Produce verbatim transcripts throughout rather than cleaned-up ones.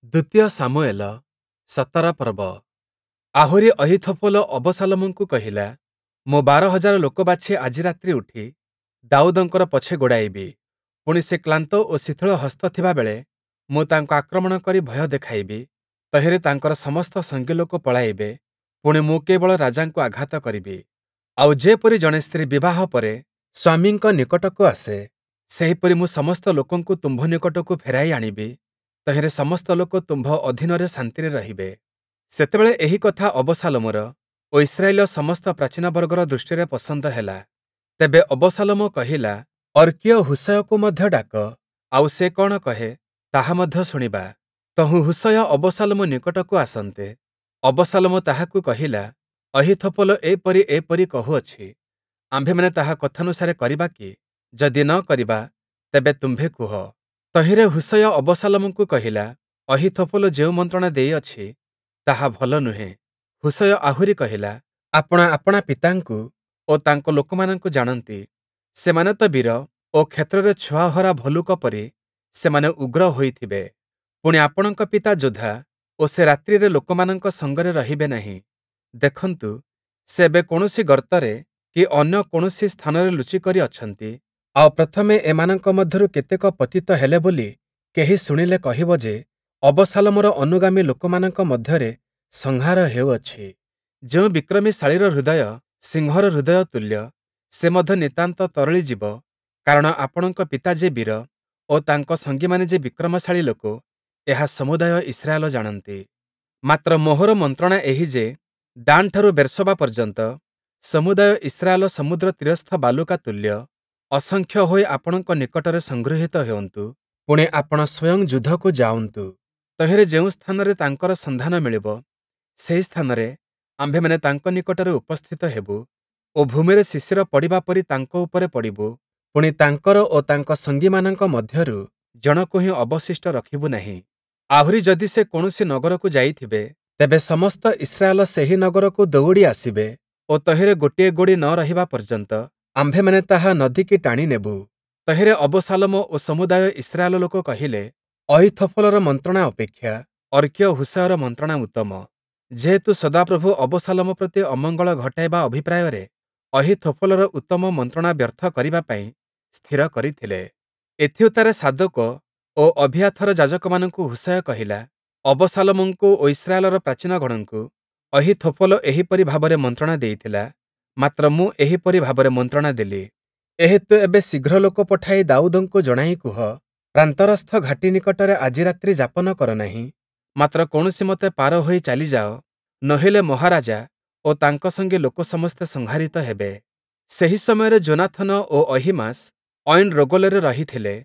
ଦ୍ଵିତୀୟ ଶାମୁୟେଲ ସତର ପର୍ବ। ଆହୁରି ଅହୀଥୋଫଲ ଅବଶାଲୋମଙ୍କୁ କହିଲା, ମୁଁ ବାର ହଜାର ଲୋକ ବାଛି ଆଜି ରାତ୍ରି ଉଠି ଦାଉଦଙ୍କର ପଛେ ଗୋଡ଼ାଇବି, ପୁଣି ସେ କ୍ଳାନ୍ତ ଓ ଶିଥିଳ ହସ୍ତ ଥିବା ବେଳେ ମୁଁ ତାଙ୍କୁ ଆକ୍ରମଣ କରି ଭୟ ଦେଖାଇବି, ତହିଁରେ ତାଙ୍କର ସମସ୍ତ ସଙ୍ଗୀ ଲୋକ ପଳାଇବେ, ପୁଣି ମୁଁ କେବଳ ରାଜାଙ୍କୁ ଆଘାତ କରିବି। ଆଉ ଯେପରି ଜଣେ ସ୍ତ୍ରୀ ବିବାହ ପରେ ସ୍ଵାମୀଙ୍କ ନିକଟକୁ ଆସେ, ସେହିପରି ମୁଁ ସମସ୍ତ ଲୋକଙ୍କୁ ତୁମ୍ଭ ନିକଟକୁ ଫେରାଇ ଆଣିବି, ତହିଁରେ ସମସ୍ତ ଲୋକ ତୁମ୍ଭ ଅଧୀନରେ ଶାନ୍ତିରେ ରହିବେ। ସେତେବେଳେ ଏହି କଥା ଅବଶାଲୋମର ଓ ଇସ୍ରାଏଲର ସମସ୍ତ ପ୍ରାଚୀନବର୍ଗର ଦୃଷ୍ଟିରେ ପସନ୍ଦ ହେଲା। ତେବେ ଅବଶାଲୋମ କହିଲା, ଅର୍କୀୟ ହୂଶୟକୁ ମଧ୍ୟ ଡାକ, ଆଉ ସେ କଅଣ କହେ, ତାହା ମଧ୍ୟ ଶୁଣିବା। ତହୁଁ ହୂଶୟ ଅବଶାଲୋମ ନିକଟକୁ ଆସନ୍ତେ, ଅବଶାଲୋମ ତାହାକୁ କହିଲା, ଅହୀଥୋଫଲ ଏପରି ଏପରି କହୁଅଛି, ଆମ୍ଭେମାନେ ତାହା କଥାନୁସାରେ କରିବା କି? ଯଦି ନ କରିବା, ତେବେ ତୁମ୍ଭେ କୁହ। ତହିଁରେ ହୂଶୟ ଅବଶାଲୋମଙ୍କୁ କହିଲା, ଅହୀଥୋଫଲ ଯେଉଁ ମନ୍ତ୍ରଣା ଦେଇଅଛି, ତାହା ଭଲ ନୁହେଁ। ହୂଶୟ ଆହୁରି କହିଲା, ଆପଣ ଆପଣା ପିତାଙ୍କୁ ଓ ତାଙ୍କ ଲୋକମାନଙ୍କୁ ଜାଣନ୍ତି, ସେମାନେ ତ ବୀର ଓ କ୍ଷେତ୍ରରେ ଛୁଆହରା ଭଲ୍ଲୁକ ପରି ସେମାନେ ଉଗ୍ର ହୋଇଥିବେ। ପୁଣି ଆପଣଙ୍କ ପିତା ଯୋଦ୍ଧା ଓ ସେ ରାତ୍ରିରେ ଲୋକମାନଙ୍କ ସଙ୍ଗରେ ରହିବେ ନାହିଁ। ଦେଖନ୍ତୁ, ସେ ଏବେ କୌଣସି ଗର୍ତ୍ତରେ କି ଅନ୍ୟ କୌଣସି ସ୍ଥାନରେ ଲୁଚିକରି ଅଛନ୍ତି। ଆଉ ପ୍ରଥମେ ଏମାନଙ୍କ ମଧ୍ୟରୁ କେତେକ ପତିତ ହେଲେ ବୋଲି କେହି ଶୁଣିଲେ କହିବ ଯେ, ଅବଶାଲୋମର ଅନୁଗାମୀ ଲୋକମାନଙ୍କ ମଧ୍ୟରେ ସଂହାର ହେଉଅଛି। ଯେଉଁ ବିକ୍ରମଶାଳୀର ହୃଦୟ ସିଂହର ହୃଦୟ ତୁଲ୍ୟ, ସେ ମଧ୍ୟ ନିତାନ୍ତ ତରଳିଯିବ, କାରଣ ଆପଣଙ୍କ ପିତା ଯେ ବୀର ଓ ତାଙ୍କ ସଙ୍ଗୀମାନେ ଯେ ବିକ୍ରମଶାଳୀ ଲୋକ, ଏହା ସମୁଦାୟ ଇସ୍ରାଏଲ ଜାଣନ୍ତି। ମାତ୍ର ମୋହର ମନ୍ତ୍ରଣା ଏହି ଯେ, ଦାନ୍‌ଠାରୁ ବେର୍ଶେବା ପର୍ଯ୍ୟନ୍ତ ସମୁଦାୟ ଇସ୍ରାଏଲ ସମୁଦ୍ର ତୀରସ୍ଥ ବାଲୁକା ତୁଲ୍ୟ ଅସଂଖ୍ୟ ହୋଇ ଆପଣଙ୍କ ନିକଟରେ ସଂଗୃହୀତ ହେଉନ୍ତୁ, ପୁଣି ଆପଣ ସ୍ଵୟଂ ଯୁଦ୍ଧକୁ ଯାଉନ୍ତୁ। ତହିଁରେ ଯେଉଁ ସ୍ଥାନରେ ତାଙ୍କର ସନ୍ଧାନ ମିଳିବ, ସେହି ସ୍ଥାନରେ ଆମ୍ଭେମାନେ ତାଙ୍କ ନିକଟରେ ଉପସ୍ଥିତ ହେବୁ ଓ ଭୂମିରେ ଶିଶିର ପଡ଼ିବା ପରି ତାଙ୍କ ଉପରେ ପଡ଼ିବୁ, ପୁଣି ତାଙ୍କର ଓ ତାଙ୍କ ସଙ୍ଗୀମାନଙ୍କ ମଧ୍ୟରୁ ଜଣକୁ ହିଁ ଅବଶିଷ୍ଟ ରଖିବୁ ନାହିଁ। ଆହୁରି ଯଦି ସେ କୌଣସି ନଗରକୁ ଯାଇଥିବେ, ତେବେ ସମସ୍ତ ଇସ୍ରାଏଲ ସେହି ନଗରକୁ ଦୌଡ଼ି ଆସିବେ ଓ ତହିଁରେ ଗୋଟିଏ ଗୋଡ଼ି ନ ରହିବା ପର୍ଯ୍ୟନ୍ତ ଆମ୍ଭେମାନେ ତାହା ନଦୀକି ଟାଣି ନେବୁ। ତହିଁରେ ଅବଶାଲୋମ ଓ ସମୁଦାୟ ଇସ୍ରାଏଲ ଲୋକ କହିଲେ, ଅହୀଥୋଫଲର ମନ୍ତ୍ରଣା ଅପେକ୍ଷା ଅର୍କୀୟ ହୂଶୟର ମନ୍ତ୍ରଣା ଉତ୍ତମ। ଯେହେତୁ ସଦାପ୍ରଭୁ ଅବଶାଲୋମ ପ୍ରତି ଅମଙ୍ଗଳ ଘଟାଇବା ଅଭିପ୍ରାୟରେ ଅହୀଥୋଫଲର ଉତ୍ତମ ମନ୍ତ୍ରଣା ବ୍ୟର୍ଥ କରିବା ପାଇଁ ସ୍ଥିର କରିଥିଲେ। ଏଥିଉତ୍ତାରେ ସାଦୋକ ଓ ଅବିୟାଥର ଯାଜକମାନଙ୍କୁ ହୂଶୟ କହିଲା, ଅବଶାଲୋମଙ୍କୁ ଓ ଇସ୍ରାଏଲର ପ୍ରାଚୀନଗଣଙ୍କୁ ଅହୀଥୋଫଲ ଏହିପରି ଭାବରେ ମନ୍ତ୍ରଣା ଦେଇଥିଲା, ମାତ୍ର ମୁଁ ଏହିପରି ଭାବରେ ମନ୍ତ୍ରଣା ଦେଲି। ଏହେତୁ ଏବେ ଶୀଘ୍ର ଲୋକ ପଠାଇ ଦାଉଦଙ୍କୁ ଜଣାଇ କୁହ, ପ୍ରାନ୍ତରସ୍ଥ ଘାଟି ନିକଟରେ ଆଜି ରାତ୍ରି ଯାପନ କର ନାହିଁ, ମାତ୍ର କୌଣସିମତେ ପାର ହୋଇ ଚାଲିଯାଅ, ନୋହିଲେ ମହାରାଜା ଓ ତାଙ୍କ ସଙ୍ଗେ ଲୋକ ସମସ୍ତେ ସଂହାରିତ ହେବେ। ସେହି ସମୟରେ ଯୋନାଥନ ଓ ଅହୀମାସ୍ ଐନ୍-ରୋଗଲରେ ରହିଥିଲେ,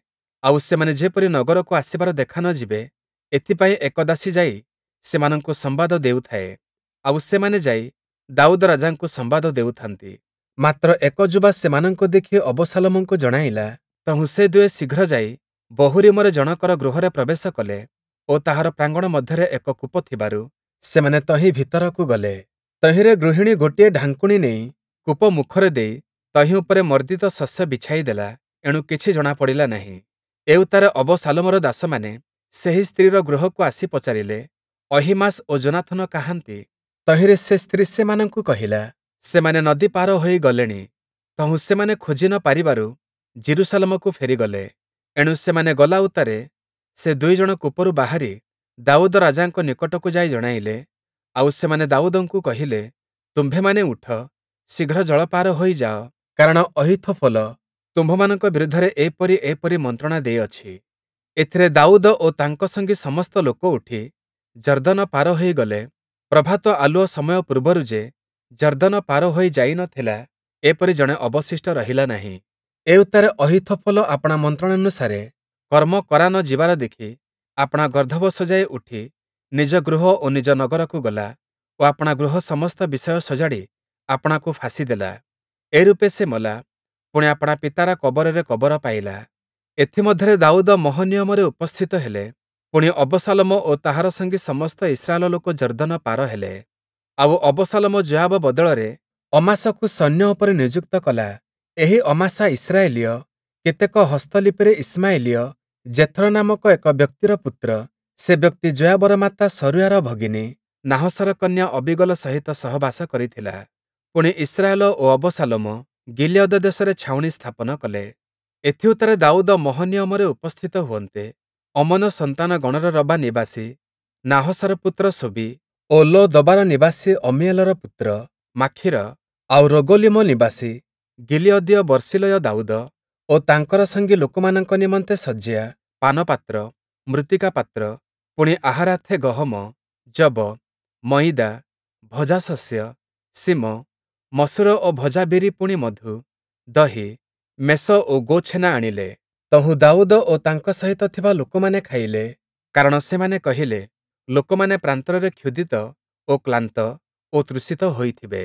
ଆଉ ସେମାନେ ଯେପରି ନଗରକୁ ଆସିବାର ଦେଖା ନ ଯିବେ, ଏଥିପାଇଁ ଏକ ଦାସୀ ଯାଇ ସେମାନଙ୍କୁ ସମ୍ବାଦ ଦେଉଥାଏ, ଆଉ ସେମାନେ ଯାଇ ଦାଉଦ ରାଜାଙ୍କୁ ସମ୍ବାଦ ଦେଉଥାନ୍ତି। ମାତ୍ର ଏକ ଯୁବା ସେମାନଙ୍କୁ ଦେଖି ଅବଶାଲୋମଙ୍କୁ ଜଣାଇଲା। ତହୁଁ ସେ ଦୁହେଁ ଶୀଘ୍ର ଯାଇ ବହୂରୀମରେ ଜଣକର ଗୃହରେ ପ୍ରବେଶ କଲେ ଓ ତାହାର ପ୍ରାଙ୍ଗଣ ମଧ୍ୟରେ ଏକ କୂପ ଥିବାରୁ ସେମାନେ ତହିଁ ଭିତରକୁ ଗଲେ। ତହିଁରେ ଗୃହିଣୀ ଗୋଟିଏ ଢାଙ୍କୁଣୀ ନେଇ କୂପ ମୁଖରେ ଦେଇ ତହିଁ ଉପରେ ମର୍ଦିତ ଶସ୍ୟ ବିଛାଇ ଦେଲା, ଏଣୁ କିଛି ଜଣାପଡ଼ିଲା ନାହିଁ। ଏଉତ୍ତାରେ ଅବଶାଲୋମର ଦାସମାନେ ସେହି ସ୍ତ୍ରୀର ଗୃହକୁ ଆସି ପଚାରିଲେ, ଅହୀମାସ୍ ଓ ଯୋନାଥନ କାହାନ୍ତି? ତହିଁରେ ସେ ସ୍ତ୍ରୀ ସେମାନଙ୍କୁ କହିଲା, ସେମାନେ ନଦୀ ପାର ହୋଇ ଗଲେଣି। ତହୁଁ ସେମାନେ ଖୋଜି ନ ପାରିବାରୁ ଯିରୂଶାଲମକୁ ଫେରିଗଲେ। ଏଣୁ ସେମାନେ ଗଲା ଉତ୍ତାରେ ସେ ଦୁଇ ଜଣ କୂପରୁ ବାହାରି ଦାଉଦ ରାଜାଙ୍କ ନିକଟକୁ ଯାଇ ଜଣାଇଲେ। ଆଉ ସେମାନେ ଦାଉଦଙ୍କୁ କହିଲେ, ତୁମ୍ଭେମାନେ ଉଠ, ଶୀଘ୍ର ଜଳପାର ହୋଇ ଯାଅ, କାରଣ ଅହୀଥୋଫଲ ତୁମ୍ଭମାନଙ୍କ ବିରୁଦ୍ଧରେ ଏପରି ଏପରି ମନ୍ତ୍ରଣା ଦେଇଅଛି। ଏଥିରେ ଦାଉଦ ଓ ତାଙ୍କ ସଙ୍ଗୀ ସମସ୍ତ ଲୋକ ଉଠି ଯର୍ଦ୍ଦନ ପାର ହୋଇଗଲେ। ପ୍ରଭାତ ଆଲୁଅ ସମୟ ପୂର୍ବରୁ ଯେ ଯର୍ଦ୍ଦନ ପାର ହୋଇ ଯାଇ ନ ଥିଲା, ଏପରି ଜଣେ ଅବଶିଷ୍ଟ ରହିଲା ନାହିଁ। ଏଉତ୍ତାରେ ଅହୀଥୋଫଲ ଆପଣା ମନ୍ତ୍ରଣାନୁସାରେ କର୍ମ କରା ନ ଯିବାର ଦେଖି ଆପଣା ଗର୍ଦ୍ଦଭ ସଜାଇ ଉଠି ନିଜ ଗୃହ ଓ ନିଜ ନଗରକୁ ଗଲା ଓ ଆପଣା ଗୃହ ସମସ୍ତ ବିଷୟ ସଜାଡ଼ି ଆପଣାକୁ ଫାଶୀ ଦେଲା। ଏରୂପେ ସେ ମଲା, ପୁଣି ଆପଣା ପିତାର କବରରେ କବର ପାଇଲା। ଏଥିମଧ୍ୟରେ ଦାଉଦ ମହନୟିମରେ ଉପସ୍ଥିତ ହେଲେ, ପୁଣି ଅବଶାଲୋମ ଓ ତାହାର ସଙ୍ଗୀ ସମସ୍ତ ଇସ୍ରାଏଲ ଲୋକ ଯର୍ଦ୍ଦନ ପାର ହେଲେ। ଆଉ ଅବଶାଲୋମ ଯୋୟାବ ବଦଳରେ ଅମାସାକୁ ସୈନ୍ୟ ଉପରେ ନିଯୁକ୍ତ କଲା। ଏହି ଅମାସା ଇସ୍ରାଏଲୀୟ, କେତେକ ହସ୍ତଲିପିରେ ଇଶ୍ମାଏଲୀୟ, ଯେଥର ନାମକ ଏକ ବ୍ୟକ୍ତିର ପୁତ୍ର। ସେ ବ୍ୟକ୍ତି ଯୋୟାବର ମାତା ସରୁୟାର ଭଗିନୀ ନାହଶର କନ୍ୟା ଅବୀଗଲ ସହିତ ସହବାସ କରିଥିଲା। ପୁଣି, ଇସ୍ରାଏଲ ଓ ଅବଶାଲୋମ ଗିଲିୟଦ ଦେଶରେ ଛାଉଣି ସ୍ଥାପନ କଲେ। ଏଥିଉତ୍ତାରେ ଦାଉଦ ମହନୀୟମରେ ଉପସ୍ଥିତ ହୁଅନ୍ତେ, ଅମ୍ମୋନ ସନ୍ତାନଗଣର ରବା ନିବାସୀ ନାହଶର ପୁତ୍ର ଶୋବୀ ଓ ଲୋଦବାର ନିବାସୀ ଅମ୍ମୀଏଲର ପୁତ୍ର ମାଖୀର ଆଉ ରୋଗୋଲୀମ ନିବାସୀ ଗିଲିୟଦୀୟ ବର୍ସିଲୟ ଦାଉଦ ଓ ତାଙ୍କର ସଙ୍ଗୀ ଲୋକମାନଙ୍କ ନିମନ୍ତେ ଶଯ୍ୟା, ପାନପାତ୍ର, ମୃତ୍ତିକା ପାତ୍ର, ପୁଣି ଆହାରାର୍ଥେ ଗହମ, ଯବ, ମଇଦା, ଭଜା ଶସ୍ୟ, ଶିମ, ମସୁର ଓ ଭଜା ବିରି ପୁଣି ମଧୁ, ଦହି, ମେଷ ଓ ଗୋଛେନା ଆଣିଲେ। ତହୁଁ ଦାଉଦ ଓ ତାଙ୍କ ସହିତ ଥିବା ଲୋକମାନେ ଖାଇଲେ, କାରଣ ସେମାନେ କହିଲେ, ଲୋକମାନେ ପ୍ରାନ୍ତରରେ କ୍ଷୁଧିତ ଓ କ୍ଳାନ୍ତ ଓ ତୃଷିତ ହୋଇଥିବେ।